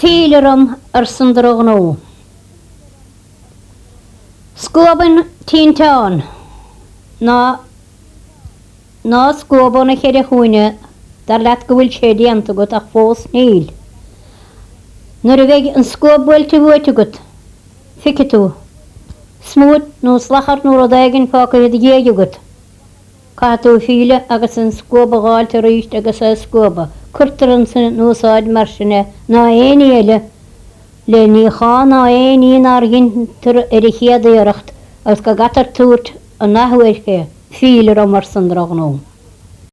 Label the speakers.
Speaker 1: Fíll orm arsan drochghnó. Scuab an tinteán ná ná scuab ó na cheithre chúinne, dar leat go bhfuil sé déanta agat ach fós níl. Nuair a bheidh an scuab buailte uait agat, feicfidh tú smúit nó slachar nó rud éigin fágtha i do dhiaidh agat. Caithfidh tú filleadh agus an scuab a dh'fháilt arís agus é a scuabadh. Cuirtear ansan in úsáid mar sin é ná aon ní eile le níochán ná aon ní nár dheintear ar an chéad iarracht agus go gcaitear tabhairt an athuair fé. Fíll orm arsan drochghnó.